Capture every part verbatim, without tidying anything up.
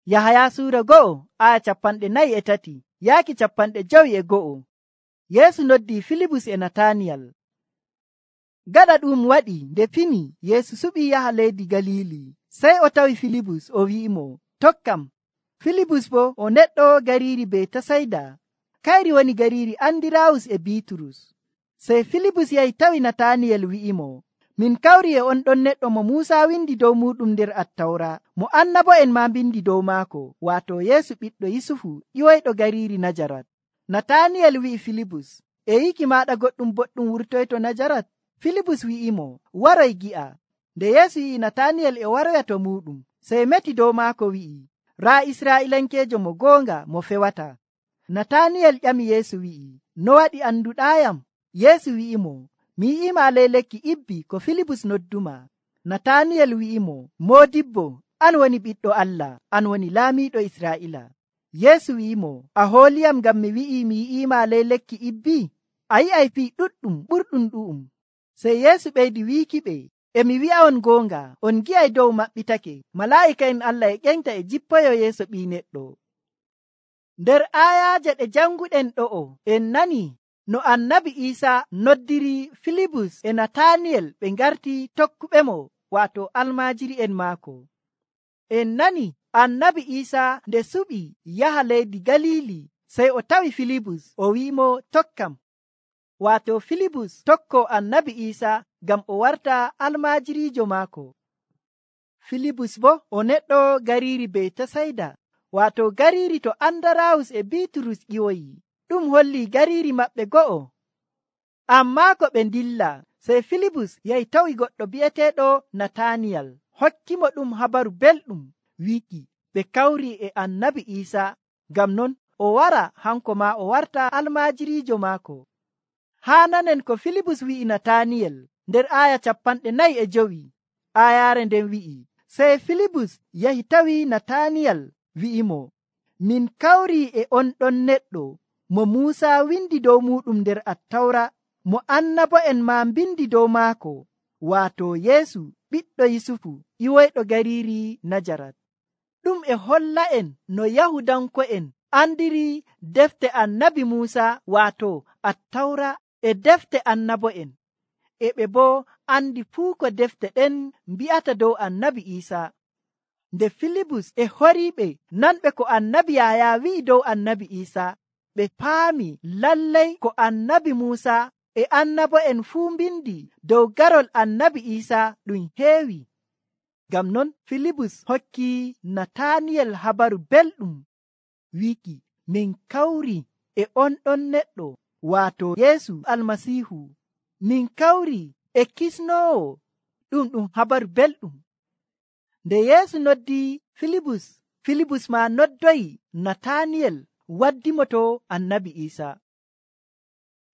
Yahaya suura go'o aya capanɗe nayi e tati yaaki capanɗe jowi e go'o. Yeesu noddi Filibus e Nataniyal. Gaɗa ɗum waɗi nde fini Yeesu suɓii yaha leydi Galili. Sey o tawi Filibus o wi'imo, tokkam. Filibus bo o neɗɗo gariiri Betasayda. Kayri woni gariiri Andirawus e Biiturus. Sey Filibus yahi tawi Nataniyel wi'imo, min kawri e on ɗon neɗɗo mo Muusa windi dow muɗum nder Attawra, mo annabo'en maa mbindi dow maako, waato Yeesu ɓiɗɗo Yusufu ƴiwoyɗo gariiri Najarat. Nataniyel wi'i Filibus, e yiki maaɗa goɗɗum boɗɗum wurtoyto Najarat? Filibus wi'imo, waroy gi'a. Nde Yeesu yi'i Nataniyel e waroya to muɗum, sey meti dow maako wi'i, raa Israa'ilankeejo mo goonga mo fewata. Nataniyel ƴami Yeesu wi'i, no waɗi anduɗaayam? Yeesu wi'imo, mi yi'ima ley lekki ibbi ko Filibus nodduma. Nataniyel wi'imo, Moodibbo, an woni ɓiɗɗo Allah, an woni laamiiɗo Israa'ila. Yeesu wi'imo, a hooliyam ngam mi wi'i mi yi'ima ley lekki ibbi? A yi'ay fii ɗuɗɗum ɓurɗum ɗu'um. Sey Yeesu ɓeydi wiikiɓe, e mi wi'a'on goonga, on gi'ay dow maɓɓitake, malaa'ika'en Allah e ƴeŋta e jippoyo yeeso Ɓii Neɗɗo. Nder aayaaje ɗe janguɗen ɗo'o, en nani no annabi Iisaa noddiri Filibus e Nataniyel ɓe ngarti tokkuɓemo, waato almaajiri'en maako. En nani annabi Iisaa nde suɓi yaha leydi Galili, sey o tawi Filibus o wi'imo tokkam. Waato Filibus tokko annabi Iisaa ngam o warta almaajiriijo maako. Filibus bo o neɗɗo gariiri Betasayda, waato gariiri to Andarawus e Biiturus ƴiwoyi. Ɗum holli gariiri maɓɓe go'o. Ammaa ko ɓe ndilla, sey Filibus yahi tawi goɗɗo bi'eteeɗo Nataniyal, hokkimo ɗum habaru belɗum, wiiki ɓe kawri e annabi Iisaa. Ngam non o wara hanko maa o warta almaajiriijo maako. Haa nanen ko Filibus wi'i Nataniyel nder aaya capanɗe nayi e jowi. Aayaare nden wi'i, sey Filibus yahi tawi Nataniyal wi'imo, min kawri e on ɗon neɗɗo mo Muusa windi dow muɗum nder Attawra, mo annabo'en maa mbindi dow maako, waato Yeesu ɓiɗɗo Yusufu ƴiwoyɗo gariiri Najarat. Ɗum e holla'en no Yahudanko'en andiri defte annabi Muusa, waato Attawra e defte annabo'en, e ɓe boo andi fuu ko defte ɗen mbi'ata dow annabi Iisaa. Nde Filibus e horiiɓe nanɓe ko annabi Yahaya wi'i dow annabi Iisaa, ɓe paami lallay ko annabi Muusa e annabo'en fuu mbindi dow garol annabi Iisaa ɗum heewi. Ngam non Filibus hokki Nataniyel habaru belɗum, wiiki min kawri e on ɗon neɗɗo, waato Yeesu Almasiihu, min kawri e kisnoowo. Ɗum ɗum habaru belɗum. Nde Yeesu noddi Filibus, Filibus maa noddoyi Nataniyel waddimo to annabi Iisaa.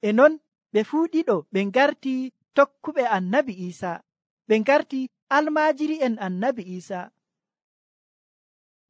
E non ɓe fuu ɗiɗo ɓe ngarti tokkuɓe annabi Iisaa, ɓe ngarti almaajiri'en annabi Iisaa.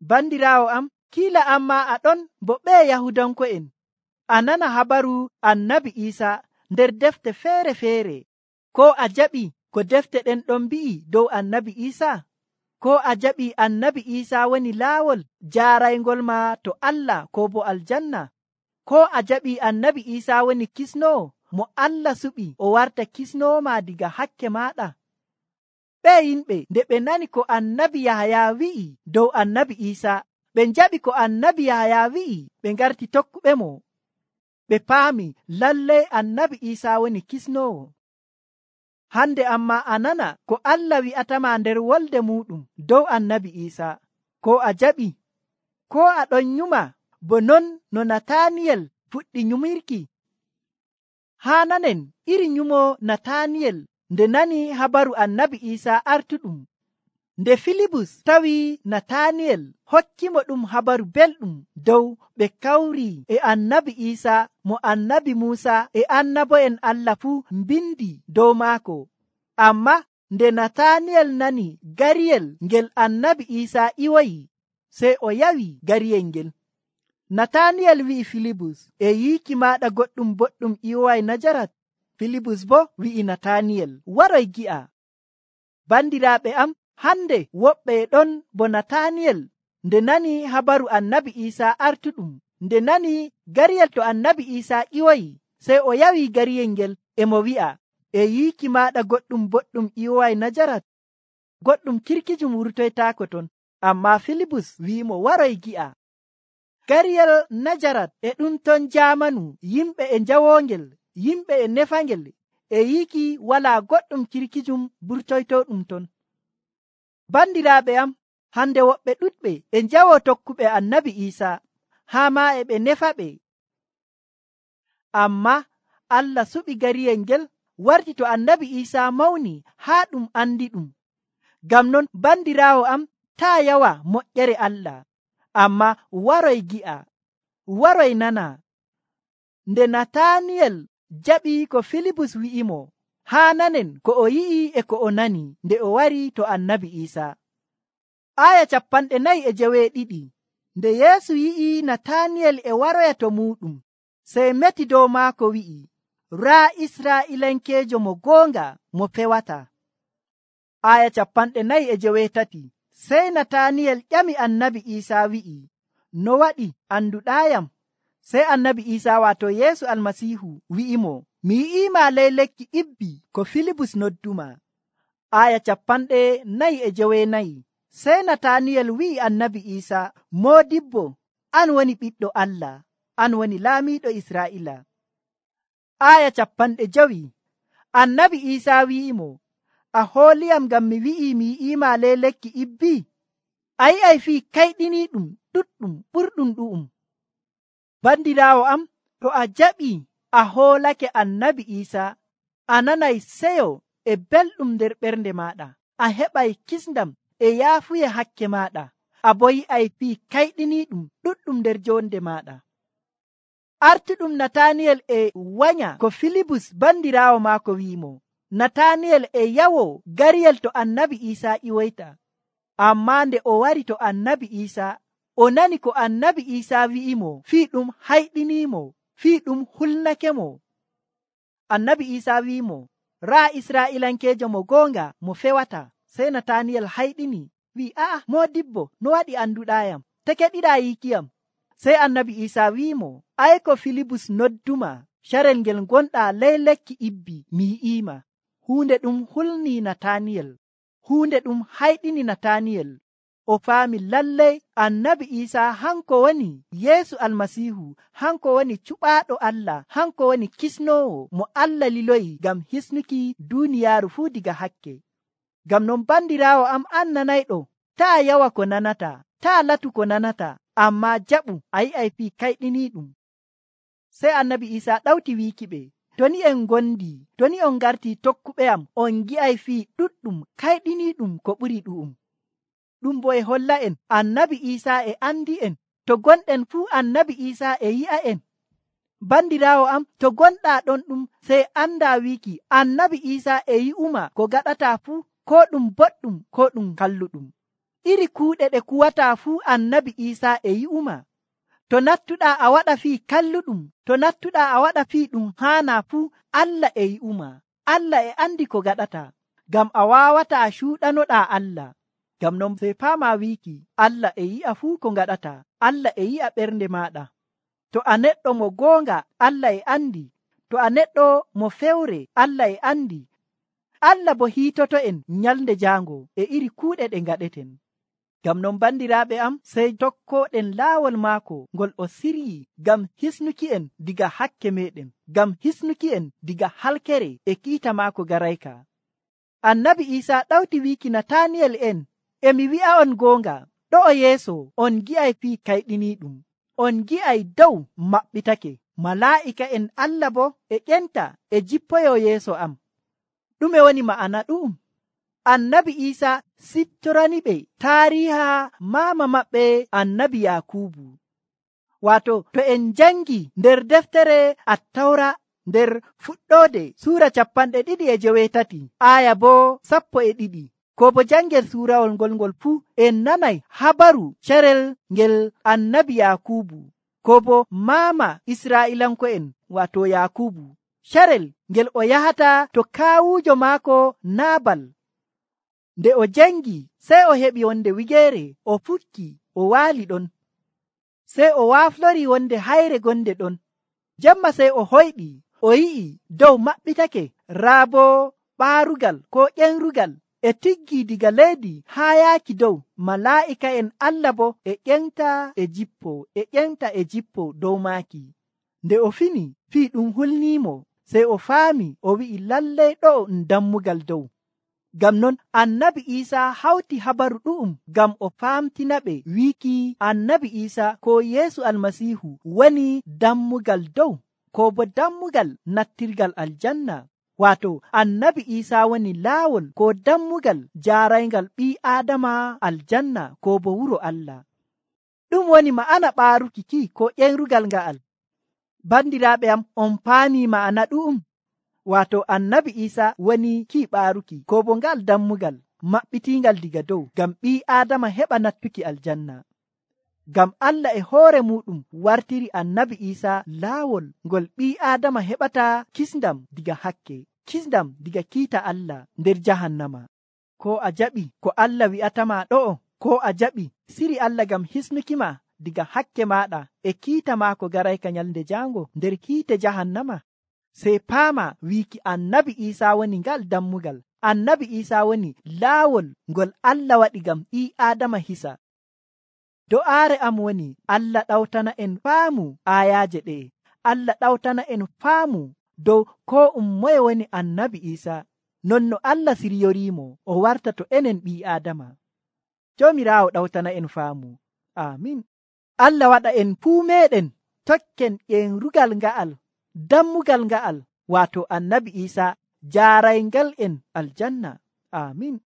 Bandiraawo am, kiila amma aɗon bo ɓee Yahudanko'en a nana habaru annabi Iisaa nder defte feere-feere. Ko a jaɓi ko defte ɗen ɗon mbi'i dow annabi Iisaa? Ko a jaɓi annabi Iisaa woni laawol jaaraygol ma to Allah ko bo aljanna? Ko a jaɓi annabi Iisaa woni kisnoowo mo Allah suɓi o warta kisnoowo ma diga hakke maaɗa? Ɓe yimɓe nde ɓe nani ko annabi Yahaya wi'i dow annabi Iisaa, ɓe njaɓi ko annabi Yahaya wi'i, ɓe ngarti tokkuɓe mo. Ɓe paami lallay annabi Iisaa woni kisnoowo. Hande amma a nana ko Allah wi'atama nder wolde muɗum dow annabi Iisaa. Ko a jaɓi? Ko a ɗon nyuma bo non no Nataniyel fuɗɗi nyumirki? Haa nanen iri nyumo Nataniyel nde nani habaru annabi Iisaa artuɗum. Nde Filibus tawi Nataniyel hokkimo ɗum habaru belɗum dow ɓe kawri e annabi Iisaa mo annabi Muusa e annabo'en Allah fuu mbindi dow maako. Amma nde Nataniyel nani gariyel ngel annabi Iisaa ƴiwoyi, sey o yawi gariyel ngel. Nataniyel wi'i Filibus, e yiiki maaɗa goɗɗum boɗɗum ƴiwoway Najarat? Filibus bo wi'i Nataniyel, waroy gi'a. Bandiraaɓe am, hande woɓɓe ɗon bo Nataniyel nde nani habaru annabi Iisaa artuɗum, nde nani gariyel to annabi Iisaa ƴiwoyi, sey o yawi gariyel ngel e mo wi'a, e yiiki maaɗa goɗɗum boɗɗum ƴiwowaay Najarat, goɗɗum kirkijum wurtoytaako ton. Ammaa Filibus wi'imo, waroy gi'a. Gariyel Najarat e ɗum ton jaamanu, yimɓe e njawoongel, yimɓe e nefangel, e yiiki walaa goɗɗum kirkijum burtoytooɗum ton. Bandiraaɓe am, hande woɓɓe ɗuɗɓe e njawoo tokkuɓe annabi Iisaa, haa maa e ɓe nefa ɓe. Ammaa Allah suɓi gariyel ngel warti to annabi Iisaa mawni haa ɗum andi ɗum. Ngam non bandiraawo am, taa yawa moƴƴere Allah, ammaa waroy gi'a, waroy nana. Nde Nataniyel jaɓi ko Filibus wi'imo, haa nanen ko o yi'i e ko o nani nde o wari to annabi Iisaa. Aya capanɗe nayi e jeweeɗiɗi. Nde Yeesu yi'i Nataniyel e waroya to muuɗum, sey meti dow maako wi'i, raa Israa'ilankeejo mo goonga mo fewata. Aya capanɗe nayi e jeweetati. Sey Nataniyel ƴami annabi Iisaa wi'i, no waɗi anduɗaayam? Sey annabi Iisaa waato Yeesu Almasiihu wi'imo, mi yi'iima ley lekki ibbi ko Filibus nodduma. Aya capanɗe nayi e jeweenayi. Sey Nataniyel wi'i annabi Iisaa, moodibbo, an woni ɓiɗɗo Allah, an woni laamiiɗo Israa'iila. Aya capanɗe jowi. Annabi Iisaa wi'imo, a hooliyam ngam mi wi'i mi yi'iima ley lekki ibbi? A yi'ay fii kayɗiniiɗum ɗuɗɗum ɓurɗum ɗu'um. Bandiraawo am, to a jaɓii a hoolake annabi Iisaa, a nanay seyo e belɗum nder ɓernde maaɗa, a heɓay kisndam e yaafuye hakke maaɗa, a bo yi'ay fii kayɗiniiɗum ɗuɗɗum nder jonde maaɗa. Artuɗum Nataniyel e wanya ko Filibus bandiraawo maako wi'imo. Nataniyel e yawo gariyel to annabi Iisaa ƴiwoyta. Ammaa nde o wari to annabi Iisaa, o nani ko annabi Iisaa wi'imo, fii ɗum hayɗiniimo, fii ɗum hulnake mo. Annabi Iisaa wi'imo, raa Israa'ilankeejo mo goonga mo fewata. Sey Nataniyel hayɗini, wi'i, a'a, moodibbo, no waɗi anduɗaayam? Te keɗiɗaa yiikiyam? Sey annabi Iisaa wi'imo, ay ko Filibus nodduma, carel ngel gonɗaa ley lekki ibbi mi yi'iima. Huunde ɗum hulnii Nataniyel, huunde ɗum hayɗini Nataniyel. O faami lallay annabi Iisaa hanko woni Yeesu Almasiihu, hanko woni cuɓaaɗo Allah, hanko woni kisnoowo mo Allah liloyi ngam hisnuki duuniyaaru fuu diga hakke. Ngam non bandiraawo am, an nanayɗo, taa yawa ko nanata, taa latu ko nanata, ammaa jaɓu, a yi'ay fii kayɗiniiɗum. Sey annabi Iisaa ɗawti wiiki ɓe, to ni en ngondi, to ni on ngartii tokkuɓe am, on gi'ay fii ɗuɗɗum kayɗiniiɗum ko ɓuri ɗu'um. Ɗum bo e holla en annabi Iisaa e andi en, to gonɗen fuu annabi Iisaa e yi'a en. Bandiraawo am, to gonɗaa ɗon ɗum, sey andaa wiiki annabi Iisaa e yi'uma ko gaɗataa fuu, ko ɗum boɗɗum ko ɗum kalluɗum. Iri kuuɗe ɗe kuwataa fuu annabi Iisaa e yi'uma. To nattuɗaa a waɗa fii kalluɗum, to nattuɗaa a waɗa fii ɗum haanaa fuu, Allah e yi'uma. Allah e andi ko gaɗataa, ngam a waawataa cuuɗanoɗaa Allah. Ngam non sey faamaa wiiki Allah e yi'a fuu ko ngaɗataa, Allah e yi'a ɓernde maaɗa. To a neɗɗo mo goonga, Allah e andi. To a neɗɗo mo fewre, Allah e andi. Allah bo hiitoto en nyalnde jaango e iri kuuɗe ɗe ngaɗeten. Ngam non bandiraaɓe am, sey tokkooɗen laawol maako ngol o siryi ngam hisnuki en diga hakke meɗen, ngam hisnuki en diga halkere e kiita maako garayka. Annabi Iisaa ɗawti wiiki Nataniyel en, e mi wi'a on goonga, ɗo o yeeso on gi'ay fii kayɗiniiɗum, on gi'ay dow maɓɓitake, malaa'ika en Allah bo e ƴenta e jippoyo yeeso am. Ɗume woni ma'ana ɗu'um? Annabi Iisaa siftorani ɓe taariha maama maɓɓe annabi Yaakubu. Waato to en jangi nder deftere Attawra nder fuɗɗoode suura capanɗe ɗiɗi e jeweetati, aya bo sappo e ɗiɗi, ko bo jangel suurawol ngol ngol fuu en nanay habaru carel ngel annabi Yaakubu, ko bo maama Israa'ilanko'en waato Yaakubu, carel ngel o yahata to kaawuujo maako Naabal. Nde o jangi, sey o heɓi wonde wigeere, o fukki, o waali ɗon. Sey o waaflori wonde hayre gonde ɗon. Jemma sey o hoyɗi, o yi'i dow maɓɓitake, raa boo ɓaarugal ko ƴenrugal e tiggi diga leydi haa yaaki dow. Malaa'ika'en Allah bo e ƴenta e jippo e ƴenta e jippo dow maaki. Nde o fini fii ɗum hulniimo, sey o faami, o wi'i lallay ɗo'o ɗum dammugal dow. Ngam non annabi Iisaa hawti habaru ɗu'um ngam o faamtinaɓe wiiki annabi Iisaa ko Yeesu Almasiihu woni dammugal dow, ko bo dammugal nattirgal aljanna. Waato annabi Iisaa woni laawol ko dammugal jaarayngal ɓii Aadama aljanna ko bo wuro Allah. Ɗum woni ma'ana ɓaaruki ki ko ƴenrugal nga'al. Bandiraaɓe am, on paami ma'ana ɗu'um. Waato annabi Iisaa woni ki ɓaaruki ko bo ngal dammugal maɓɓitiingal diga dow ngam ɓii Aadama heɓa nattuki aljanna. Ngam Allah e hoore muɗum wartiri annabi Iisaa laawol ngol ɓii Aadama heɓata kisndam diga hakke, kisndam diga kiita Allah nder jahannama. Ko a jaɓi ko Allah wi'atama ɗo'o, ko a jaɓi siri Allah ngam hisnukima diga hakke maɗa e kiita maako garayka nyalnde jaango nder kiite jahannama. Sey paama wiiki annabi Iisaa woni ngal dammugal. Annabi Iisaa woni laawol ngol Allah waɗi ngam ɓii Aadama hisa. Do'aare am woni Allah ɗawtana en faamu aayaaje ɗe'e. Allah ɗawtana en faamu dow ko um moye woni annabi Iisaa, non no Allah siryoriimo o warta to enen ɓii Aadama. Joomiraawo ɗawtana en faamu. Amin. Allah waɗa en fuu meeɗen tokken ƴenrugal nga'al, dammugal nga'al, waato annabi Iisaa jaarayngal en aljanna. Amin.